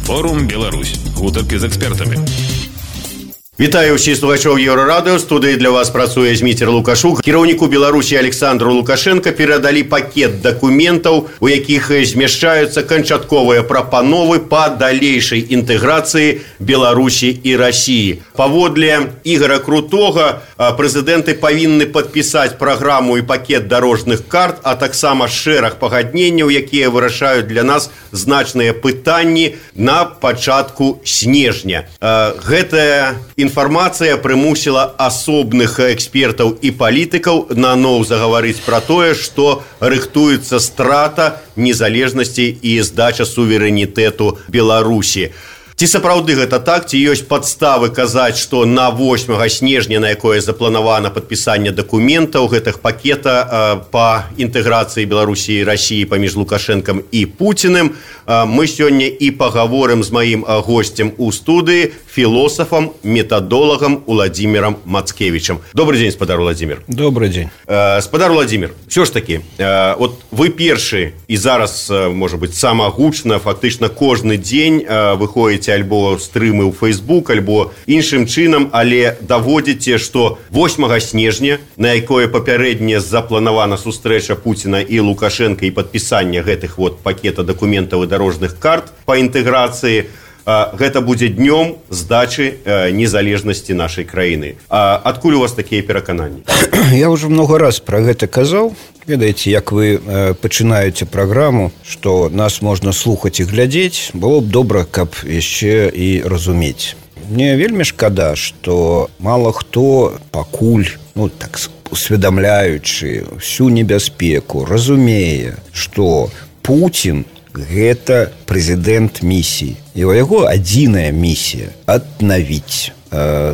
Форум Беларусь. Гутарки з экспертами. Вітаю ўсіх слухачоў Еўрарадыё. Студыі для вас працуе Зміцер Лукашук. Кіраўніку Беларусі Александру Лукашенко перадалі пакет дакументаў, у якіх змяшчаюцца канчатковыя прапановы па далейшай інтэграцыі Беларусі і Расіі. Паводле Ігора Крутога, прэзідэнты павінны падпісаць праграму і пакет дарожных карт, а таксама шэраг пагадненняў, якія вырашаюць для нас значныя пытанні на пачатку снежня. Гэтая інфармацыя прымусіла асобных экспертаў і палітыкаў наноў загаварыць пра тое, што рыхтуецца страта незалежнасці і здача суверэнітэту Беларусі. Ці сапраўды гэта так, ці ёсць падставы казаць, што на 8 снежня, на якое запланавана падпісанне дакументаў гэтых пакета па інтэграцыі Беларусі і Расіі паміж Лукашэнкам і Пуціным, мы сёння і пагаворым з маім госцем у студыі, філосафам, метадолагам Уладзімірам Мацкевічам. Добрый дзень, спадар Уладзімір. Добрый дзень. Спадар Уладзімір, ўсё ж такі, от вы першы і зараз, можа быць, сама гучна, фактычна кожны дзень выходзіце альбо стрымы ў Facebook, альбо іншым чынам, але даводзіце, што 8 снежня, на якое папярэдне запланавана сустрэча Пуціна і Лукашенка і падпісанне гэтых пакета дакументаў і дарожных карт па інтэграцыі, гэта будзе днём здачы незалежнасці нашай краіны. Адкуль у вас такія перакананні? Я ўжо много раз пра гэта казаў. Ведаеце, як вы пачынаеце праграму, што нас можна слухаць і глядзець, было б добра, каб яшчэ і разумець. Мне вельмі шкада, што мала хто пакуль, так усведамляючы всю небяспеку, разумее, што Пуцін гэта прэзідэнт місіі. І у яго адзіная місія аднавіць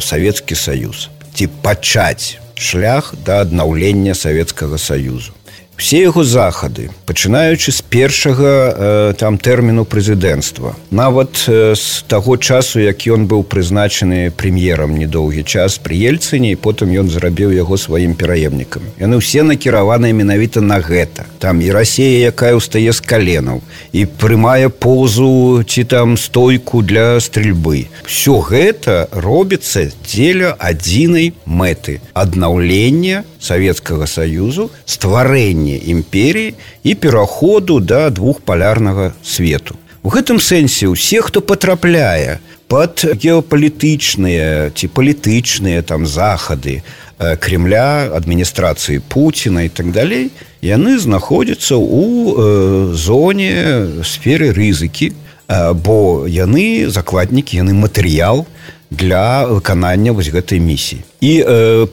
Савецкі Саюз, ці пачаць шлях да аднаўлення Савецкага Саюзу. Все яго захады, пачынаючы з першага тэрміну прэзідэнцтва, нават з таго часу, як ён быў прызначаны прэм'ерам недоўгі час пры Ельцыне, і потым ён зрабіў яго сваім пераемнікам. Яны ўсе накіраваныя менавіта на гэта. Там і Расія, якая ўстае з каленаў, і прымае позу ці там стойку для стрельбы. Всё гэта робіцца дзеля адзінай мэты – аднаўлення Савецкага Саюзу, стварэння імперіі і пераходу да двухпалярнага свету. У гэтым сэнсе ўсе, хто патрапляе пад геапалітычныя ці палітычныя захады Кремля, адміністрацыі Пуціна і так далей, яны знаходзяцца ў зоне сферы рызыкі, бо яны закладнікі, яны матэрыял для выканання гэтай місіі. І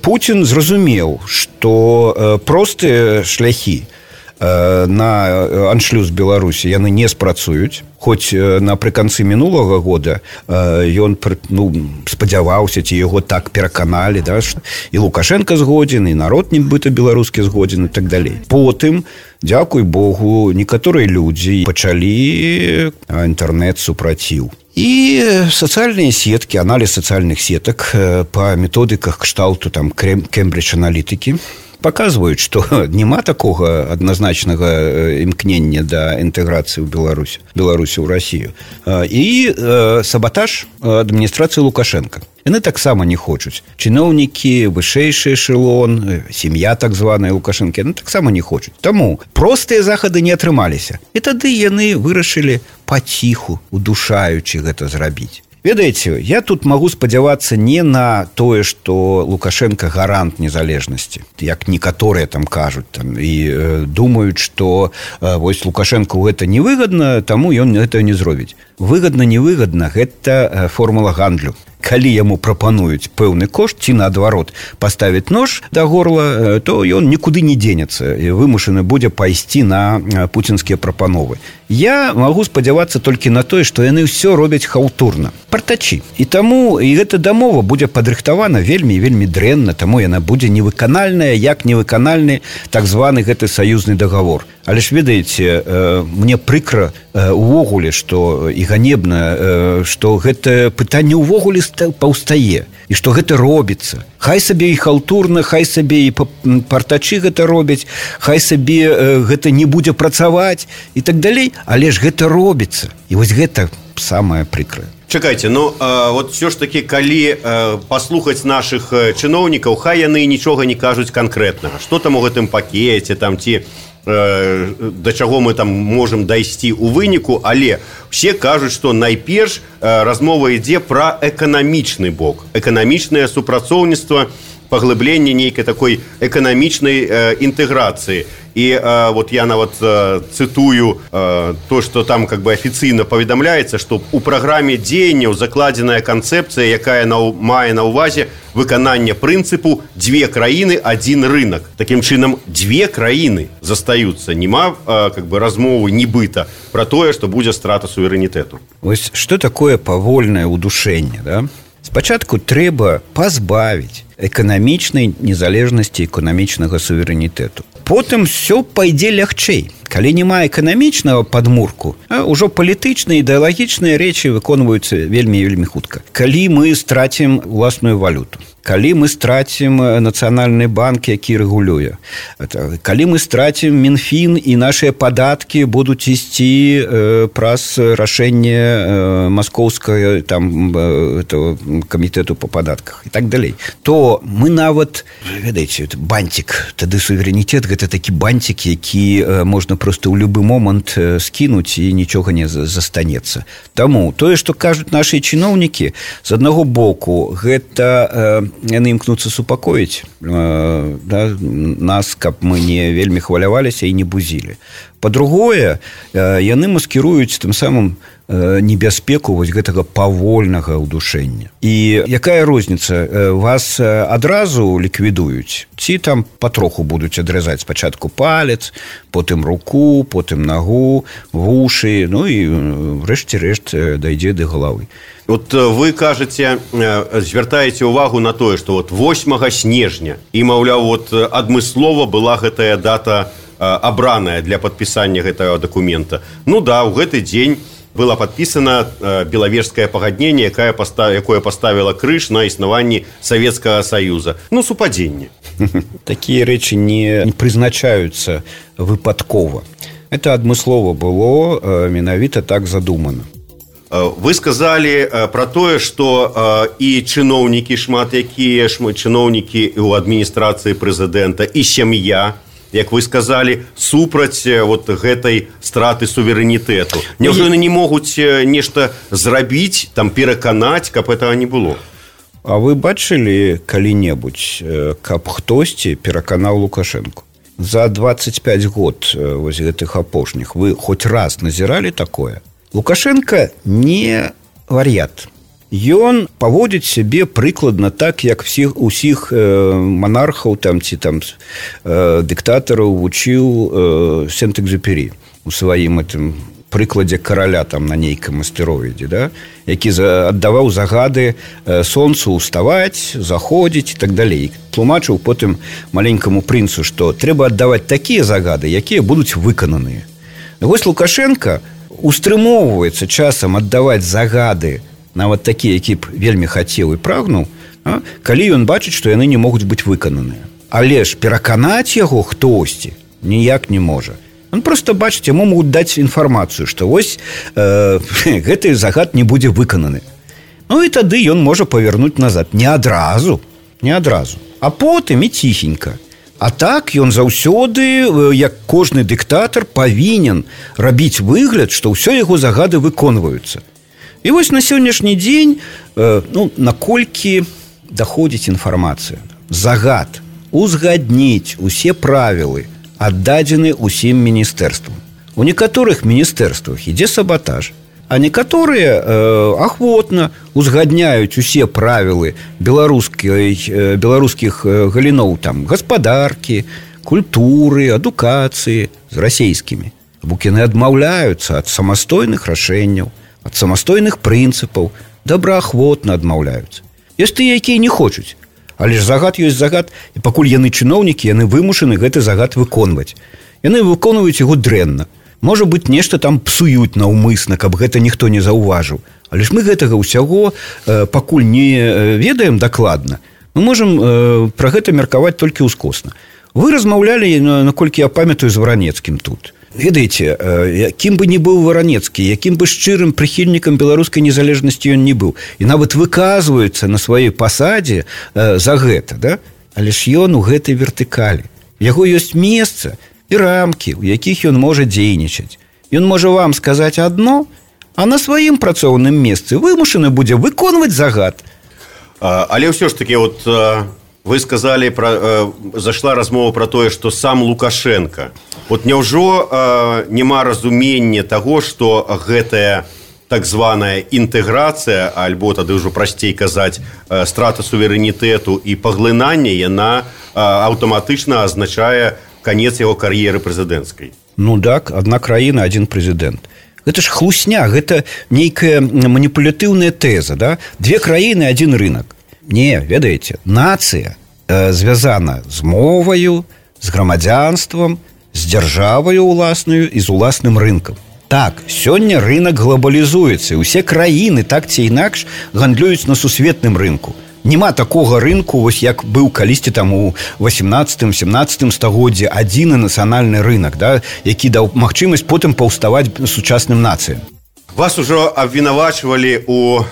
Пуцін зразумеў, што простыя шляхі на аншлюз Беларусі яны не спрацуюць, хоць напрыканцы мінулага года ён спадзяваўся, ці яго так пераканалі, і Лукашенко згодзін, і народ нібыта беларускі згодзін і так далей. Потым, дзякуй Богу, некаторыя людзі пачалі інтэрнэт-супраціў. І сацыяльныя сеткі, аналіз сацыяльных сетак па методыках кшталту Кембридж-аналітыкі паказваюць, што няма такога адназначнага імкнення да інтэграцыі ў Беларусі ў Расію. І сабатаж адміністрацыі Лукашенка. Яны таксама не хочуць. Чыноўнікі, вышэйшы эшелон, сям'я так званая Лукашэнкі, яны таксама не хочуць. Таму простыя захады не атрымаліся. І тады яны вырашылі паціху, удушаючы гэта зрабіць. Ведаеце, я тут магу спадзявацца не на тое, што Лукашенко гарант незалежнасці, як некаторыя там кажуць, і думаюць, што вось Лукашенко гэта невыгадна, таму ён гэта не зробіць. Выгадна-невыгадна, гэта формула гандлю. Калі яму прапануюць пэўны кошт, ці наадварот паставіць нож да горла, то ён нікуды не дзенецца і вымушаны будзе пайсці на пуцінскія прапановы. Я магу спадзявацца толькі на тое, што яны ўсё робяць хаўтурна. Партачі. І таму і гэта дамова будзе падрыхтавана вельмі дрэнна, таму яна будзе невыканальная, як невыканальны так званы гэты саюзны дагавор. Але ж ведаеце, мне прыкра увогуле, што і ганебна, што гэта пытанне ўвогуле паўстае. І што гэта робіцца. Хай сабе і халтурна, хай сабе і партачы гэта робяць, хай сабе гэта не будзе працаваць і так далей, але ж гэта робіцца. І вось гэта самае прыкрае. Чакайце, вот все ж таки, калі паслухаць нашых чыноўнікаў, хай яны нічога не кажуць канкрэтнага. Што там у гэтым пакеце, там ці да чаго мы там можам дайсці ў выніку, але все кажуць, што найперш размова ідзе пра эканамічны бок, эканамічнае супрацоўніцтва, паглыбленне нейкай такой эканамічнай інтэграцыі. І вот я нават цытую то, што там как бы афіцыйна паведамляецца, што ў праграме дзеянняў закладзеная канцэпцыя, якая мае на ўвазе выкананне прынцыпу «две краіны, один рынок». Такім чынам, две краіны застаюцца. Нема как бы размовы нібыта пра тое, што будзе страта суверэнітэту. Вось што такое павольнае ўдушэнне, да? Спачатку трэба пазбавіць эканамічнай незалежнасці, эканамічнага суверэнітэту. Потым все пойдзе лягчэй. Калі няма эканамічнага падмурку, ўжо палітычныя, ідэалагічныя рэчы выконваюцца вельмі хутка. Калі мы страцім уласную валюту, калі мы страцім нацыянальны банк, які рэгулюе, калі мы страцім Мінфін і нашыя падаткі будуць ісці праз рашэнне маскоўскага там камітэту па падатках і так далей, то мы нават, ведаеце, бантик, тады суверэнітэт гэта такі бантик, які можна просто ў любы момант скінуць і нічога не застанецца. Таму тое, што кажуць нашы чыноўнікі, з аднаго боку, гэта яны імкнуцца супакоіць нас, каб мы не вельмі хваляваліся і не бузілі. Па-другое, яны маскіруюць тым самым небяспеку вось гэтага павольнага ўдушэння. І якая розніца? Вас адразу ліквідуюць? Ці там патроху будуць адрэзаць спачатку палец, потым руку, потым нагу, вушы, ну і рэшце-рэшт дайдзе да галавы. Вот вы кажаце, звяртаеце ўвагу на тое, што вот 8 снежня і, маўляў, вот адмыслова была гэтая дата абраная для падпісання гэтага дакумента. Ну да, ў гэты дзень было падпісана Белавежскае пагадненне, якое паставіла крыж на існаванні Савецкага Саюза. Ну, супадзенне. Такія рэчы не прызначаюцца выпадкова. Это адмыслова было, менавіта так задумана. Вы сказалі пра тое, што і чыноўнікі шмат якія, чыноўнікі ў адміністрацыі прэзідэнта, і сям'я, як вы сказалі, супраць вот гэтай страты суверэнітэту. Няўжо яны не могуць нешта зрабіць, там пераканаць, каб гэтага не было? А вы бачылі калі-небудзь, каб хтосьці пераканаў Лукашэнку? За 25 год вось гэтых апошніх вы хоць раз назіралі такое? Лукашенко не вар'ят. Ён паводзіць сябе прыкладна так, як усіх монархаў там, ці там дыктатараў вучыў Сент-Экзюпері у сваім гэтым прыкладзе караля там на нейкам астэроіде, да? Які аддаваў загады сонцу ўставаць, заходзіць і так далей. Тлумачыў потым маленькаму прынцу, што трэба аддаваць такія загады, якія будуць выкананыя. Вось Лукашенко устрымоўваецца часам аддаваць загады, нават такія, які б вельмі хацеў і прагнуў, калі ён бачыць, што яны не могуць быць выкананыя. Але ж пераканаць яго хтосьці ніяк не можа. Он просто бачыць, яму могуць даць інфармацыю, што вось гэты загад не будзе выкананы. Ну і тады ён можа павярнуць назад. Не адразу, а потым і ціхенька. А так ён заўсёды, як кожны дыктатар, павінен рабіць выгляд, што ўсё яго загады выконваюцца. І вось на сённяшні дзень, наколькі даходзіць інфармацыя. Загад узгадніць усе правілы аддадзены ўсім міністэрствам. У некаторых міністэрствах ідзе сабатаж, а некаторыя ахвотна узгадняюць усе правілы беларускіх галіноў там гаспадаркі, культуры, адукацыі з расейскімі. Бо яны адмаўляюцца ад самастойных рашэнняў, ад самастойных прынцыпаў, добраахвотна адмаўляюцца. Ёсць тыя, якія не хочуць. Але ж загад ёсць загад, і пакуль яны чыноўнікі, яны вымушаны гэты загад выконваць. Яны выконваюць яго дрэнна. Можа быць, нешта там псуюць наўмысна, каб гэта ніхто не заўважыў. Але ж мы гэтага ўсяго пакуль не ведаем дакладна. Мы можам пра гэта меркаваць толькі ўскосна. Вы размаўлялі, наколькі я памятаю, з Варанецкім тут. Ведаеце, якім бы не быў Варанецкі, якім бы шчырым прыхільнікам беларускай незалежнасці ён не быў, і нават выказваецца на сваёй пасадзе за гэта, да? Але ж ён у гэтай вертыкалі. Яго ёсць месца і рамкі, у якіх ён можа дзейнічаць. Ён можа вам сказаць адно, а на сваім працоўным месцы вымушаны будзе выконваць загад. Але ўсё ж таки, вот вы сказали, зашла размова про тое, што сам Лукашенко. Вот няўжо няма разумення таго, што гэтая так званая інтэграцыя, альбо тады ўжо прасцей казаць, страта суверэнітэту і паглынанне, яна аўтаматычна азначае канец яго кар'еры прэзідэнцкай? Ну так, адна краіна, адзін прэзідэнт. Гэта ж хлусня, гэта нейкая маніпулятыўная тэза, да? Две краіны, адзін рынок. Не, ведаеце, нацыя звязана з моваю, з грамадзянствам, з дзяржаваю ўласнаю і з уласным рынкам. Так, сёння рынок глобалізуецца, і ўсе краіны так ці інакш гандлююць на сусветным рынку. Нема такога рынку, вось як быў калісьці там у 18-17 стагоддзі адзіны нацыянальны рынок, да, які даў магчымасць потым паўставаць сучасным нацыям. Вас ужо абвінавачвалі у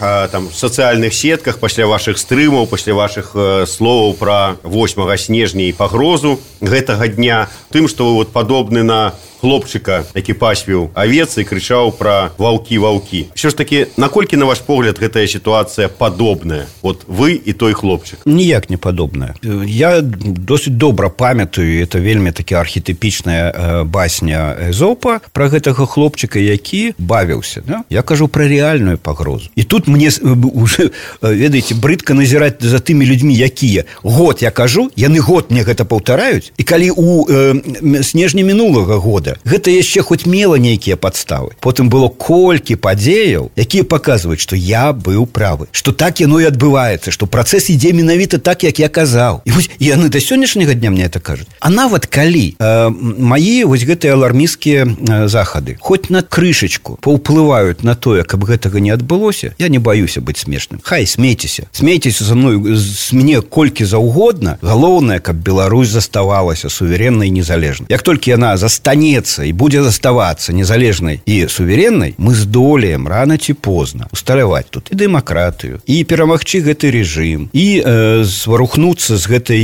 сацыяльных сетках пасля вашых стрымаў, пасля вашых словаў пра 8 снежня і пагрозу гэтага дня, тым, што вы падобны на хлопчыка, які пасвіў авец і крычаў пра ваўкі-ваўкі. Ўсё ж такі, наколькі, на ваш погляд, гэтая сітуацыя падобная? Вот вы і той хлопчык. Ніяк не падобная. Я досыць добра памятаю, это вельмі такі архетыпічная басня Эзопа пра гэтага хлопчыка, які бавіўся. Да? Я кажу пра рэальную пагрозу. І тут мне уже, ведаеце, брыдка назіраць за тымі людзьмі, якія год я кажу, яны год мне гэта паўтараюць, і калі у снежні мінулага года гэта яшчэ хоць мела нейкія падставы. Потым было колькі падзеяў, якія паказваюць, што я быў правы, што так яно і адбываецца, што працэс ідзе менавіта так, як я казаў. І вось яны да сённяшняга дня мне это кажуць. А нават калі мае вось гэтыя алармісцкія захады хоць на крышачку паўплываюць на тое, каб гэтага не адбылося, я не баюся быць смешным. Хай, смейцеся за мной, з мяне колькі заўгодна. Галоўнае, каб Беларусь заставалася суверэннай і незалежнай. Як толькі яна застанецца і будзе заставацца незалежнай і суверэннай, мы здолеем рана ці позна усталяваць тут і дэмакратыю, і перамагчы гэты рэжым, і зварухнуцца з гэтай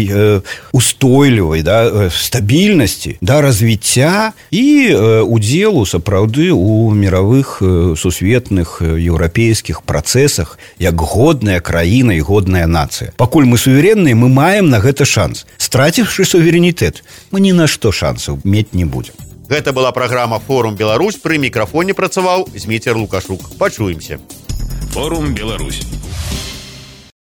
устойлівай, да, стабільнасці да развіцця і удзелу сапраўды у міравых сусветных еўрапейскіх працэсах як годная краіна і годная нацыя. Пакуль мы суверэнныя, мы маем на гэта шанс. Страціўшы суверэнітэт, мы ні на што шансаў мець не будзем. Гэта была праграма «Форум Беларусь». Пры мікрафоне працаваў Зміцер Лукашук. Пачуемся. Форум Беларусь.